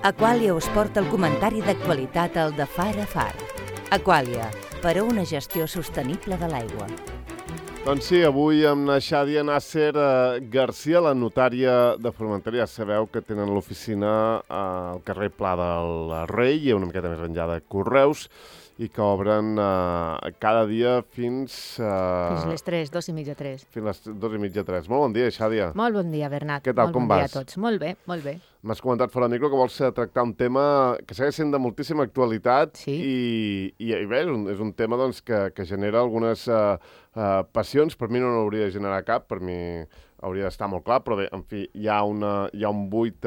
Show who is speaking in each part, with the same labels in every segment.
Speaker 1: Aqualia us porta el comentari d'actualitat al de Far a Far. Aqualia, per a una gestió sostenible de l'aigua.
Speaker 2: Doncs sí, avui amb la Xàdia Nasser Garcia, la notària de Formentera. Ja sabeu que tenen l'oficina al carrer Pla del Rei i una miqueta més enllà de Correus, i que obren cada dia fins...
Speaker 3: Fins les 3, 2:30, 3.
Speaker 2: Fins les 2:30, 3. Molt bon dia, Xàdia.
Speaker 3: Molt bon dia, Bernat.
Speaker 2: Què tal, com vas?
Speaker 3: Molt bon dia a tots. Molt bé, molt bé.
Speaker 2: M'has comentat fora de micro que vols tractar un tema que segueix sent de moltíssima actualitat.
Speaker 3: Sí.
Speaker 2: I bé, és un tema doncs, que genera algunes passions. Per mi no n'hauria de generar cap, per mi hauria d'estar molt clar, però bé, en fi, hi ha un buit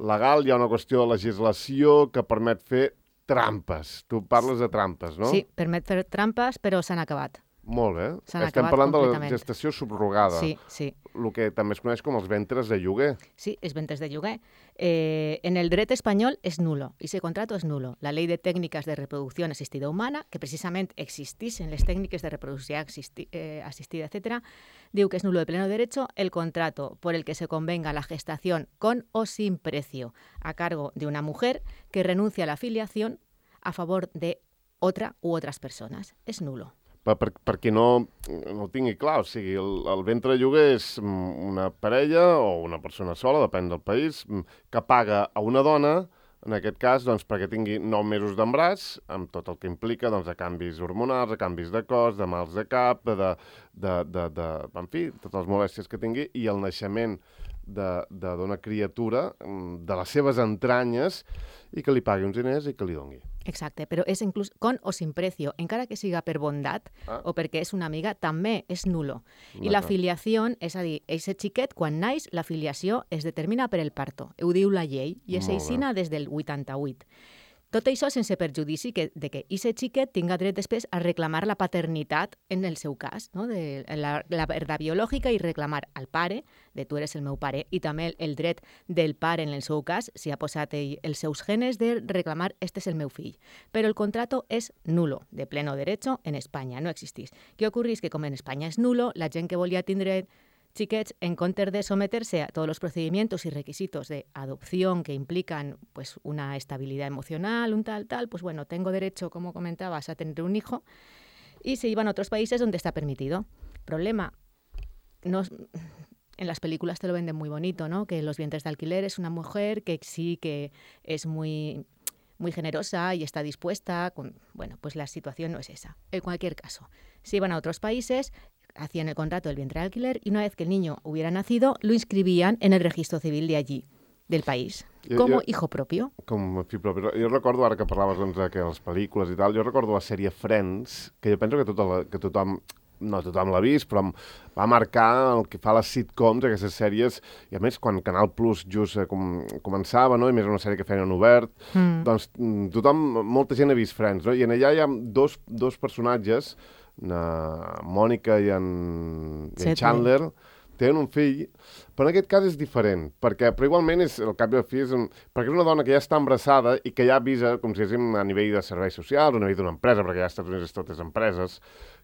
Speaker 2: legal, hi ha una qüestió de legislació que permet fer trampes. Tu parles de trampes, no?
Speaker 3: Sí, permet fer trampes, però s'han acabat.
Speaker 2: Molt bé.
Speaker 3: S'han
Speaker 2: Estem
Speaker 3: acabat
Speaker 2: parlant de la
Speaker 3: completament.
Speaker 2: gestació subrogada.
Speaker 3: Sí, sí.
Speaker 2: El que també es coneix com els ventres de lloguer.
Speaker 3: Sí, es ventres de lloguer. En el dret espanyol es nulo, ese contrato es nulo. La ley de técnicas de reproducción asistida humana, que precisament existissin les tècniques de reproducció asistida, etc., diu que es nulo de pleno derecho el contrato por el que se convenga la gestación con o sin precio a cargo de una mujer que renuncia a la filiación a favor de otra u otras personas. Es nulo.
Speaker 2: Per qui no ho tingui clar, o sigui, el ventre de lloguer és una parella o una persona sola, depèn del país, que paga a una dona, en aquest cas, doncs, perquè tingui 9 mesos d'embràs, amb tot el que implica doncs, de canvis hormonals, de canvis de cos, de mals de cap, en fi, totes les molèsties que tingui, i el naixement d'una criatura de les seves entranyes i que li pagui uns diners i que li doni.
Speaker 3: Exacte, però és inclús con o sin precio, encara que siga per bondat o perquè és una amiga, també és nulo. I la filiació, és a dir, aquest xiquet, quan naix, la filiació es determina per el parto. Ho diu la llei, i és aixina des del 88. Tot això sense perjudici de que aquest xiquet tinga dret després a reclamar la paternitat en el seu cas, no? De la verdad biològica, i reclamar al pare, de tu eres el meu pare, i també el dret del pare en el seu cas, si ha posat ell els seus genes, de reclamar este és el meu fill. Però el contrato és nulo, de pleno derecho, en Espanya, no existís. Què ocorreix? Que com en Espanya és nulo, la gent que volia tindre xiquets, en comptes de someterse a todos los procedimientos y requisitos de adopción que implican pues, una estabilidad emocional, un tal, pues bueno, tengo derecho, como comentabas, a tener un hijo, y se iban a otros países donde está permitido. Problema, en las películas te lo venden muy bonito, ¿no? Que los vientres de alquiler es una mujer que sí que es muy generosa y está dispuesta. Bueno, pues la situación no es esa. En cualquier caso, se iban a otros países, hacían el contrato del vientre de alquiler y una vez que el niño hubiera nacido, lo inscribían en el registro civil de allí, del país, como hijo propio.
Speaker 2: Com a fill propi. Jo recordo, ara que parlaves doncs, que les pel·lícules i tal, jo recordo la sèrie Friends, que jo penso que tothom, no tothom l'ha vist, però va marcar el que fa les sitcoms, aquestes sèries, i a més, quan Canal Plus just començava, no? I més una sèrie que feien en obert, doncs molta gent ha vist Friends, no? I en allà hi ha dos personatges, Mònica i en Chandler, tenen un fill, però en aquest cas és diferent, però igualment al cap i al fi perquè és una dona que ja està embarassada i que ja avisa, com si diguéssim, a nivell de serveis socials, a nivell d'una empresa, perquè ja als Estats Units totes empreses,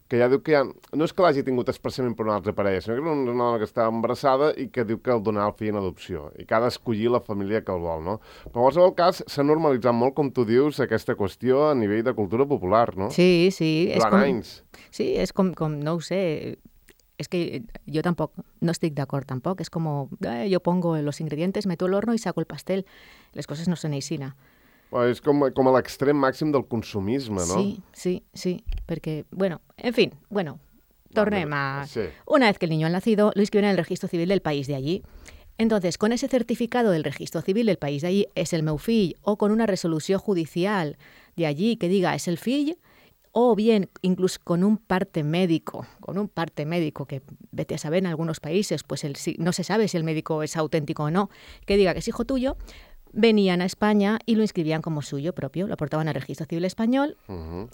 Speaker 2: que ja diu que no és que l'hagi tingut expressament per una altra parella, sinó que és una dona que està embarassada i que diu que el donarà el fill en adopció i que ha d'escollir la família que el vol, no? Però en qualsevol cas s'ha normalitzat molt, com tu dius, aquesta qüestió a nivell de cultura popular, no?
Speaker 3: Sí, sí.
Speaker 2: Durant anys.
Speaker 3: Sí, és com, no ho sé, és que jo tampoc no estic d'acord tampoc, és com, jo pongo los ingredientes, meto el horno y saco el pastel. Les coses no són aixina.
Speaker 2: És com a l'extrem màxim del consumisme, ¿no?
Speaker 3: Sí, perquè, en fin, tornem a...
Speaker 2: Sí.
Speaker 3: Una vez que el niño ha nacido, lo inscriben en el registro civil del país de allí. Entonces, con ese certificado del registro civil del país de allí, es el meu fill, o con una resolució judicial de allí que diga es el fill, o bien incluso con un parte médico, que vete a saber en algunos países, pues no se sabe si el médico es auténtico o no, que diga que es hijo tuyo, venían a España y lo inscribían como suyo propio, lo aportaban al registro civil español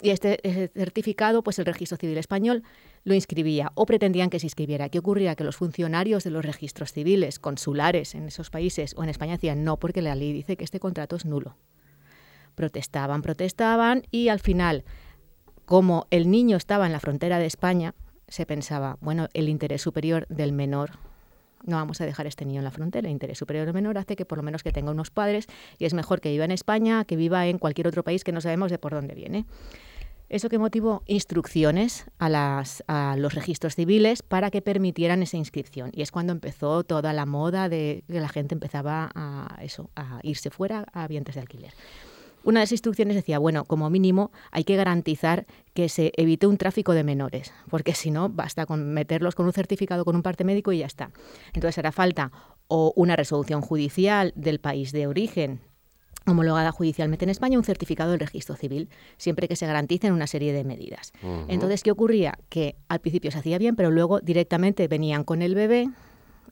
Speaker 3: y este certificado, pues el registro civil español lo inscribía o pretendían que se inscribiera. ¿Qué ocurría? Que los funcionarios de los registros civiles consulares en esos países o en España decían no, porque la ley dice que este contrato es nulo. Protestaban y al final, como el niño estaba en la frontera de España, se pensaba, el interés superior del menor no vamos a dejar a este niño en la frontera. El interés superior del menor hace que por lo menos que tenga unos padres y es mejor que viva en España que viva en cualquier otro país que no sabemos de por dónde viene. Eso que motivó instrucciones a los registros civiles para que permitieran esa inscripción. Y es cuando empezó toda la moda de que la gente empezaba a irse fuera a vientres de alquiler. Una de las instrucciones decía, bueno, como mínimo hay que garantizar que se evite un tráfico de menores, porque si no, basta con meterlos con un certificado, con un parte médico y ya está. Entonces hará falta o una resolución judicial del país de origen, homologada judicialmente en España, un certificado del registro civil, siempre que se garanticen una serie de medidas. Entonces, ¿qué ocurría? Que al principio se hacía bien, pero luego directamente venían con el bebé.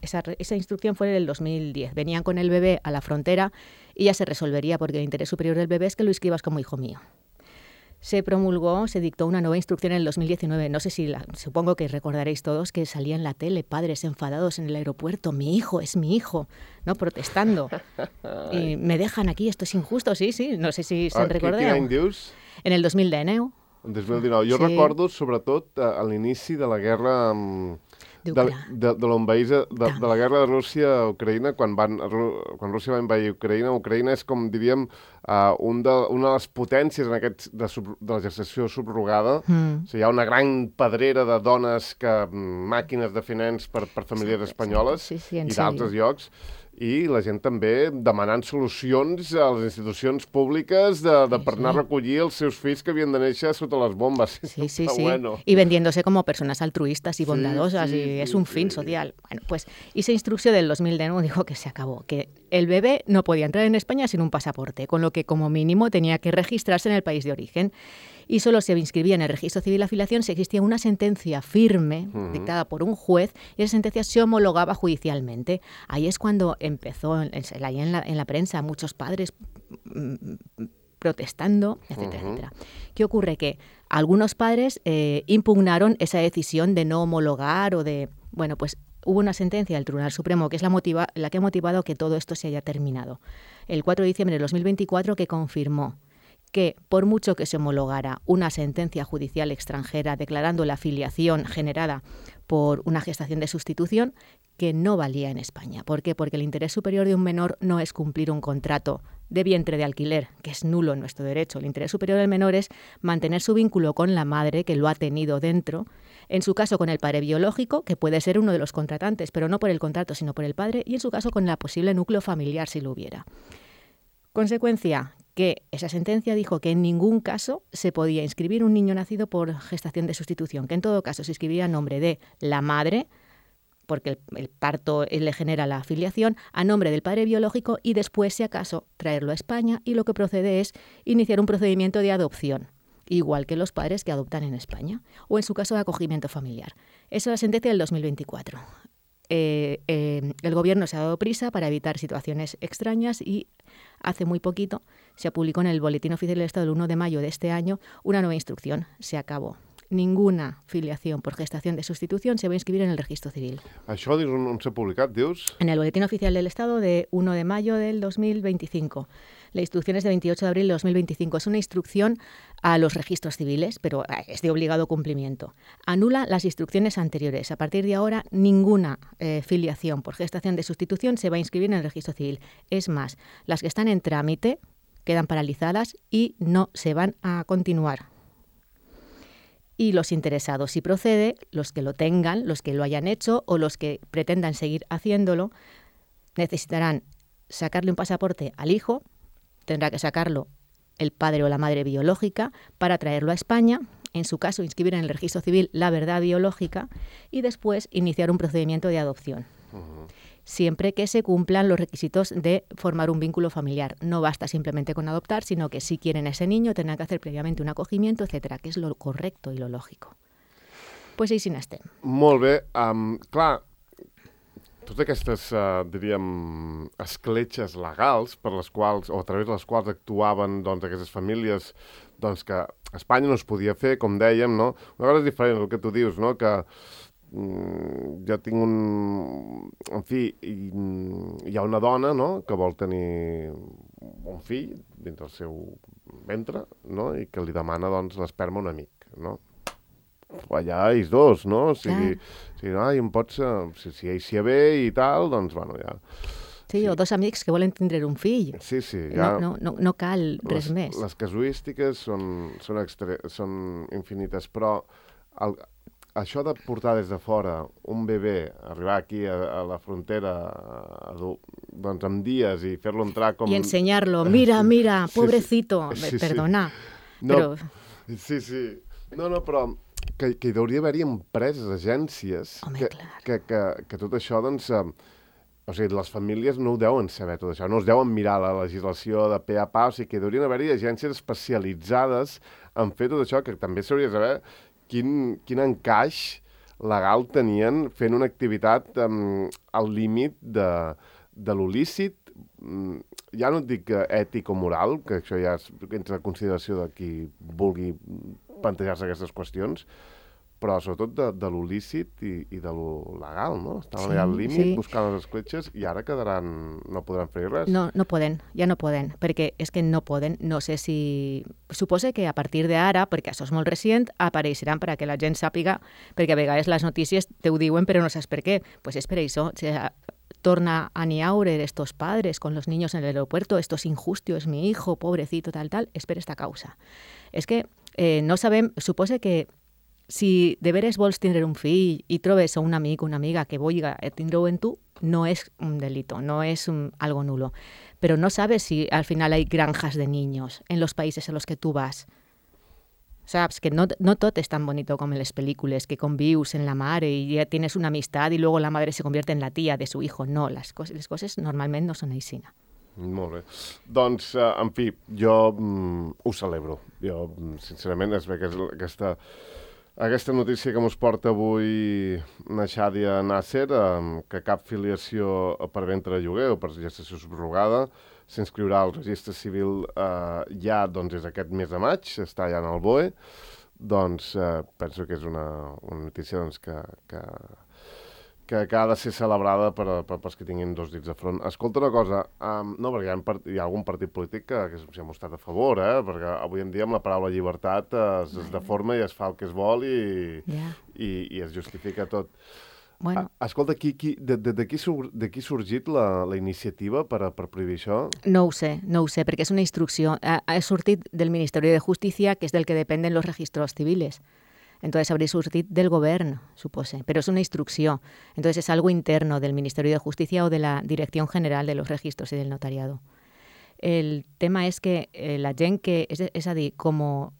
Speaker 3: Esa instrucción fue en el 2010. Venían con el bebé a la frontera y ya se resolvería, porque el interés superior del bebé es que lo inscribas como hijo mío. Se dictó una nueva instrucción en el 2019. No sé supongo que recordaréis todos que salía en la tele padres enfadados en el aeropuerto. Mi hijo, es mi hijo, ¿no? Protestando. Y me dejan aquí, esto es injusto, sí. No sé si se'n recordeu.
Speaker 2: Quin any dius?
Speaker 3: En el 2019.
Speaker 2: En 2019. Jo recordo, sobretot, a l'inici de la guerra... de la guerra de Rússia a Ucraïna, quan Rússia va envair Ucraïna. Ucraïna és, com diríem, una de les potències en aquest de la gestació subrogada. O sigui, hi ha una gran pedrera de dones, màquines de fer nens per famílies espanyoles i d'altres llocs. I la gent també demanant solucions a les institucions públiques per anar a recollir els seus fills que havien de néixer sota les bombes.
Speaker 3: Sí. Bueno. Y vendiéndose como personas altruistas y bondadosas, es un fin social. Bueno, pues esa instrucción del 2009 dijo que se acabó, que el bebé no podía entrar en España sin un pasaporte, con lo que como mínimo tenía que registrarse en el país de origen. Y solo se inscribía en el registro civil la filiación si existía una sentencia firme dictada por un juez y esa sentencia se homologaba judicialmente. Ahí es cuando empezó, ahí en la prensa, muchos padres protestando, etcétera. ¿Qué ocurre? Que algunos padres impugnaron esa decisión de no homologar o de... Bueno, pues hubo una sentencia del Tribunal Supremo que es la que ha motivado que todo esto se haya terminado. El 4 de diciembre de 2024 que confirmó que por mucho que se homologara una sentencia judicial extranjera declarando la filiación generada por una gestación de sustitución, que no valía en España. ¿Por qué? Porque el interés superior de un menor no es cumplir un contrato de vientre de alquiler, que es nulo en nuestro derecho. El interés superior del menor es mantener su vínculo con la madre, que lo ha tenido dentro, en su caso con el padre biológico, que puede ser uno de los contratantes, pero no por el contrato, sino por el padre, y en su caso con el posible núcleo familiar, si lo hubiera. Consecuencia, que esa sentencia dijo que en ningún caso se podía inscribir un niño nacido por gestación de sustitución, que en todo caso se inscribiría a nombre de la madre, porque el parto le genera la filiación, a nombre del padre biológico y después, si acaso, traerlo a España, y lo que procede es iniciar un procedimiento de adopción, igual que los padres que adoptan en España, o en su caso de acogimiento familiar. Esa es la sentencia del 2024. El gobierno se ha dado prisa para evitar situaciones extrañas y hace muy poquito se publicó en el Boletín Oficial del Estado el 1 de mayo de este año una nueva instrucción. Se acabó. Ninguna filiación por gestación de sustitución se va a inscribir en el registro civil.
Speaker 2: Això on s'ha publicat, dius?
Speaker 3: En el Boletín Oficial del Estado de 1 de mayo del 2025. La instrucción es de 28 de abril de 2025. Es una instrucción a los registros civiles, pero es de obligado cumplimiento. Anula las instrucciones anteriores. A partir de ahora, ninguna filiación por gestación de sustitución se va a inscribir en el registro civil. Es más, las que están en trámite quedan paralizadas y no se van a continuar. Y los interesados, si procede, los que lo tengan, los que lo hayan hecho o los que pretendan seguir haciéndolo, necesitarán sacarle un pasaporte al hijo, tendrá que sacarlo el padre o la madre biológica para traerlo a España, en su caso inscribir en el registro civil la verdad biológica y después iniciar un procedimiento de adopción. Siempre que se cumplan los requisitos de formar un vínculo familiar. No basta simplemente con adoptar, sino que si quieren a ese niño tendrán que hacer previamente un acogimiento, etcétera, que és lo correcto i lo lògico. Pues així n'estem.
Speaker 2: Molt bé. Clar, totes aquestes, diríem, escletxes legals per les quals, o a través de les quals actuaven doncs, aquestes famílies doncs, que a Espanya no es podia fer, com dèiem, no? Una cosa és diferent, el que tu dius, no? Que jo tinc en fi, hi ha una dona, no?, que vol tenir un fill dins del seu ventre, no?, i que li demana, doncs, l'esperma a un amic, no? allà ells dos, no? O sigui, em pots... Si ells s'hi ve i tal, doncs, bueno, ja...
Speaker 3: Sí, o dos amics que volen tindre un fill.
Speaker 2: Sí, ja...
Speaker 3: No cal res més.
Speaker 2: Les casuístiques són infinites, però això de portar des de fora un bebè, arribar aquí a la frontera doncs amb dies i fer-lo entrar com...
Speaker 3: I ensenyar-lo, mira, pobrecito, perdona.
Speaker 2: No, però... Sí. No, però que hi hauria d'haver-hi empreses, agències, que tot això, doncs... O sigui, les famílies no ho deuen saber tot això, no es deuen mirar la legislació de pe a pa, o sigui que haurien d'haver-hi agències especialitzades en fer tot això, que també s'hauria de saber quin encaix legal tenien fent una activitat al límit de l'il·lícit, ja no et dic ètic o moral, que això ja entra en consideració de qui vulgui plantejar-se aquestes qüestions, però sobretot de lo lícit i de lo legal, no? Estaven allà al límit buscant les escletxes i ara no podran fer res.
Speaker 3: No poden, ja no poden, perquè és que no poden, no sé si... Suposo que a partir d'ara, perquè això és molt recient, apareixeran per a que la gent sàpiga, perquè a vegades les notícies te ho diuen però no saps per què. Pues és per això, torna a niaure estos padres con los niños en el aeropuerto, esto es injusto, es mi hijo, pobrecito, tal, és per esta causa. És que no sabem, suposo que si de veres vols tindre un fill i trobes un amic o una amiga que vulgui tindre-ho en tu, no es un delito, no es algo nulo. Pero no sabes si al final hay granjas de niños en los países a los que tú vas. Saps que no tot és tan bonito com en les pel·lícules, que convius en la mare i ja tienes una amistad y luego la madre se convierte en la tía de su hijo. No, les coses normalment no són així.
Speaker 2: Molt bé. Doncs, en fi, jo ho celebro. Jo, sincerament, és bé que aquesta notícia que mos porta avui na Xàdia Nasser, que cap filiació per ventre de lloguer o per gestació subrogada s'inscriurà al registre civil ja doncs, des d'aquest mes de maig, està ja en el BOE, doncs penso que és una notícia doncs, que ha de ser celebrada pels que tinguin dos dits de front. Escolta una cosa, no, perquè hi ha algun partit polític que s'hi ha mostrat a favor, perquè avui en dia amb la paraula llibertat es deforma i es fa el que es vol i es justifica tot.
Speaker 3: Bueno.
Speaker 2: Escolta, de qui ha sorgit la iniciativa per prohibir això?
Speaker 3: No ho sé, perquè és una instrucció. Ha sortit del Ministeri de Justícia, que és del que dependen los registros civiles. Entonces habría surtido del gobierno, supose, pero es una instrucción. Entonces es algo interno del Ministerio de Justicia o de la Dirección General de los Registros y del Notariado. El tema es que la gent que, és a dir, com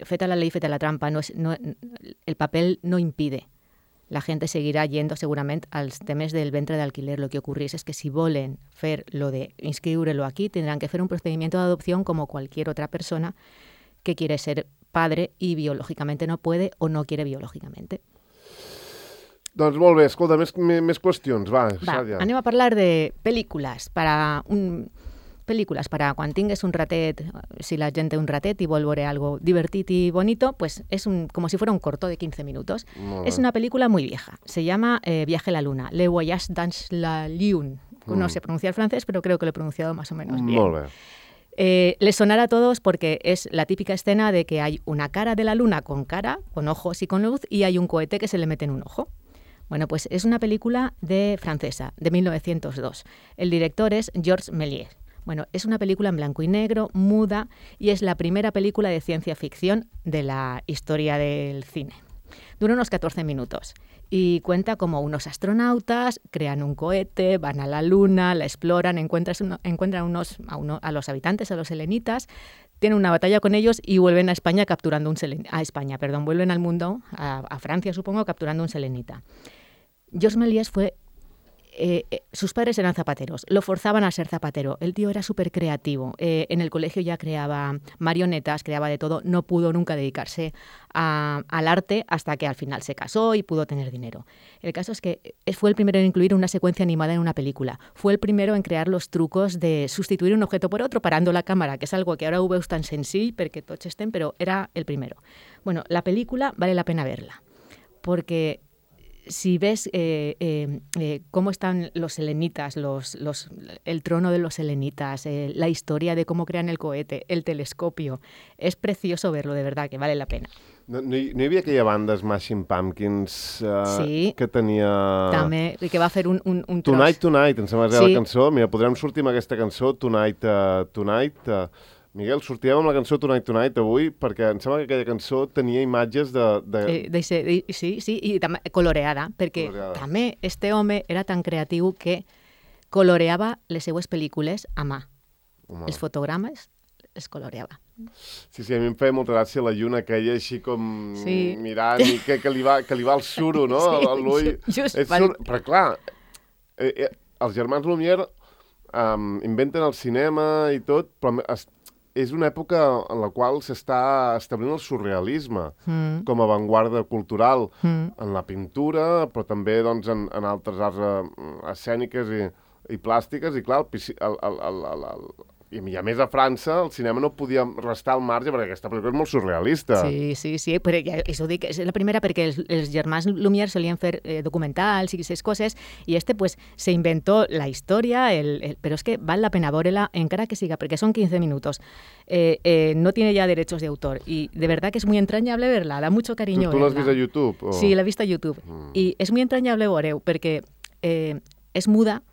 Speaker 3: feta la ley, feta la trampa, el papel no impide. La gente seguirá yendo segurament als temes del ventre d'alquiler. Lo que ocurrís es que si volen fer lo de inscriure-lo aquí, tendrán que fer un procedimiento de adopción como cualquier otra persona que quiere ser padre y biológicamente no puede o no quiere biológicamente.
Speaker 2: Doncs molt bé, escolta, més qüestions, va.
Speaker 3: Anem a parlar de pel·lícules para quan tingues un ratet, si la gent té un ratet i vol veure algo divertit y bonito, pues es como si fuera un corto de 15 minutos. Es una película muy vieja, se llama Viaje a la Luna, Le Voyage dans la Lune. No sé pronunciar francés, pero creo que lo he pronunciado más o menos bien.
Speaker 2: Molt bé.
Speaker 3: Les sonará a todos porque es la típica escena de que hay una cara de la luna con ojos y con luz, y hay un cohete que se le mete en un ojo. Bueno, pues es una película francesa, de 1902. El director es Georges Méliès. Bueno, es una película en blanco y negro, muda, y es la primera película de ciencia ficción de la historia del cine. Dura unos 14 minutos y cuenta como unos astronautas crean un cohete, van a la luna, la exploran, encuentran a los habitantes, a los selenitas, tienen una batalla con ellos y vuelven a España vuelven al mundo, a Francia supongo, capturando un selenita. Georges Méliès sus padres eran zapateros, lo forzaban a ser zapatero. El tío era súper creativo. En el colegio ya creaba marionetas, creaba de todo. No pudo nunca dedicarse al arte hasta que al final se casó y pudo tener dinero. El caso es que fue el primero en incluir una secuencia animada en una película. Fue el primero en crear los trucos de sustituir un objeto por otro parando la cámara, que es algo que ahora ho veus tan senzill perquè tots estem, pero era el primero. Bueno, la película vale la pena verla, porque si ves cómo están los selenitas, el trono de los selenitas, la historia de cómo crean el cohete, el telescopio, es precioso verlo, de verdad, que vale la pena.
Speaker 2: No hi havia aquella banda Smashing Pumpkins
Speaker 3: sí,
Speaker 2: que tenia...
Speaker 3: també, que va fer un tros.
Speaker 2: Tonight, em sembla que era la cançó. Mira, podrem sortir amb aquesta cançó, Tonight. Miguel, sortíem amb la cançó Tonight avui perquè em sembla que aquella cançó tenia imatges
Speaker 3: sí, i també coloreada, perquè també este home era tan creatiu que coloreava les seues pel·lícules a mà. Els fotogrames els coloreava.
Speaker 2: Sí, a mi em feia molta gràcia la lluna aquella així com mirant i que li va el suro, no?
Speaker 3: Sí,
Speaker 2: l'ull. Però clar, els germans Lumière inventen el cinema i tot, però és una època en la qual s'està establint el surrealisme com a avantguarda cultural en la pintura, però també doncs, en altres arts escèniques i plàstiques, i clar, i a més a França el cinema no podia restar al marge perquè aquesta pel·lícula és molt surrealista.
Speaker 3: Sí, però això dic, és la primera perquè els germans Lumière solien fer documentals i aquestes coses, i pues se inventó la història, però és que val la pena veure-la encara que siga, perquè són 15 minutos. No tiene ya derechos de autor y de verdad que es muy entrañable verla, da mucho cariño
Speaker 2: verla. ¿Tú l'has vist a YouTube?
Speaker 3: O... Sí, l'he vist a YouTube. I és muy entrañable veure-ho perquè és muda,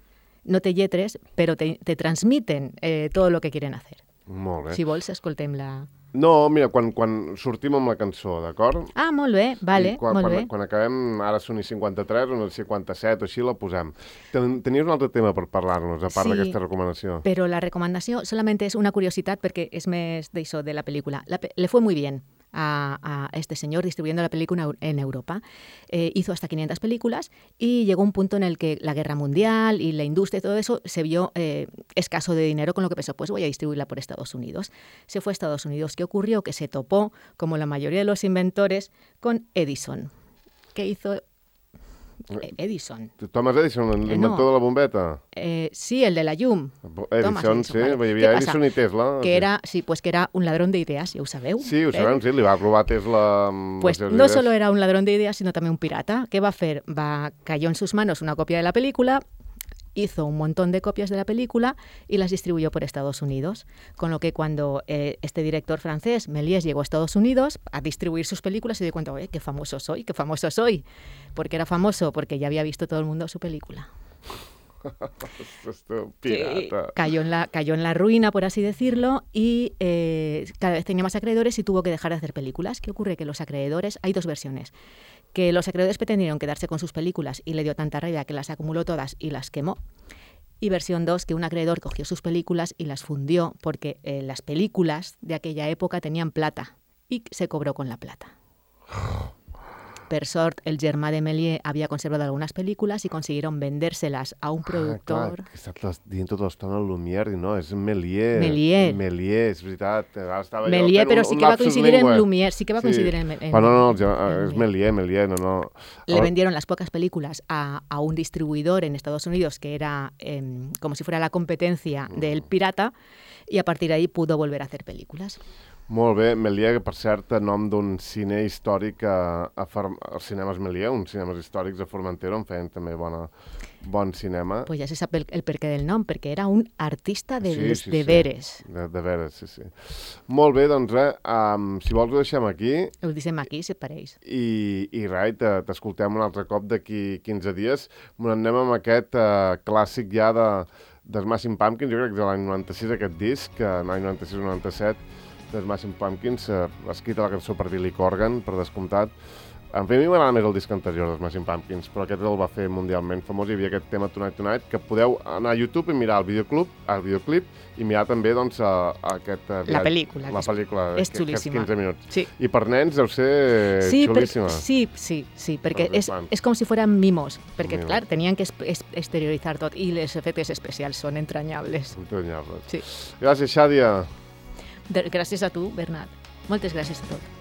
Speaker 3: no té lletres, però te transmiten todo lo que quieren hacer.
Speaker 2: Molt bé.
Speaker 3: Si vols, escoltem-la.
Speaker 2: No, mira, quan sortim amb la cançó, d'acord?
Speaker 3: Ah, molt bé, vale, molt bé.
Speaker 2: Quan acabem, ara són 53 o 57 o així, la posem. Tenies un altre tema per parlar-nos, a part d'aquesta recomanació.
Speaker 3: Però la recomanació solament és una curiositat perquè és més d'això, de la pel·lícula. Le fue muy bien a este señor distribuyendo la película en Europa. Hizo hasta 500 películas y llegó un punto en el que la guerra mundial y la industria y todo eso se vio escaso de dinero, con lo que pensó, pues voy a distribuirla por Estados Unidos. Se fue a Estados Unidos. ¿Qué ocurrió? Que se topó, como la mayoría de los inventores, con Edison. ¿Qué hizo Edison?
Speaker 2: Thomas Edison, l'inventor de la bombeta?
Speaker 3: Sí, el de la llum.
Speaker 2: Edison, sí, hi havia Edison i Tesla.
Speaker 3: Que era un ladrón de ideas, ja ho sabeu.
Speaker 2: Sí, ho sabem, sí, li va robar Tesla...
Speaker 3: Pues no solo era un ladrón de ideas, sino también un pirata. ¿Qué va a hacer? Cayó en sus manos una copia de la película, hizo un montón de copias de la película y las distribuyó por Estados Unidos. Con lo que cuando este director francés, Méliès, llegó a Estados Unidos a distribuir sus películas, se dio cuenta, qué famoso soy. ¿Por qué era famoso? Porque ya había visto todo el mundo su película.
Speaker 2: Pirata.
Speaker 3: Sí, cayó en la ruina, por así decirlo, y cada vez tenía más acreedores y tuvo que dejar de hacer películas. ¿Qué ocurre? Que los acreedores, hay dos versiones, que los acreedores pretendieron quedarse con sus películas y le dio tanta rabia que las acumuló todas y las quemó. Y versión 2, que un acreedor cogió sus películas y las fundió porque las películas de aquella época tenían plata y se cobró con la plata. Per sort, el germà de Méliès havia conservat algunes pel·lícules i consiguieron vendérselas a un productor...
Speaker 2: Clar, que estàs dient tota l'estona Lumière, i no, és Méliès. És veritat.
Speaker 3: Méliès, però sí que va coincidir en Lumière, sí que va coincidir en...
Speaker 2: No, és Méliès, no.
Speaker 3: Le vendieron las pocas películas a un distribuidor en Estados Unidos que era como si fuera la competencia del pirata, y a partir de ahí pudo volver a hacer películas.
Speaker 2: Molt bé, Méliès, que per cert, a nom d'un cine històric als cinemes Méliès, uns cinemes històrics a Formentera, on feien també bon cinema.
Speaker 3: Pues ja se sap el perquè del nom, perquè era un artista de veres.
Speaker 2: De veres, sí. Molt bé, doncs si vols ho deixem aquí.
Speaker 3: Ho deixem aquí, si et pareix.
Speaker 2: I res, t'escoltem un altre cop d'aquí 15 dies. Anem amb aquest clàssic ja de Smashing Pumpkins, jo crec que és de l'any 96 aquest disc, l'any 96-97, de Smashing Pumpkins, escrita la cançó per Billy Corgan, per descomptat. En fi, a mi m'agrada més el disc anterior de Smashing Pumpkins, però aquest el va fer mundialment famós. Hi havia aquest tema Tonight, que podeu anar a YouTube i mirar el videoclip i mirar també doncs,
Speaker 3: la pel·lícula.
Speaker 2: La pel·lícula,
Speaker 3: és xulíssima.
Speaker 2: 15 minuts.
Speaker 3: Sí.
Speaker 2: I per nens deu ser xulíssima.
Speaker 3: Sí, perquè és com si fueran mimos, perquè, clar, tenien que exterioritzar tot i els efectes especials són entranyables.
Speaker 2: Entranyables.
Speaker 3: Sí.
Speaker 2: Gràcies, Xàdia.
Speaker 3: Gràcies a tu, Bernat. Moltes gràcies a tot.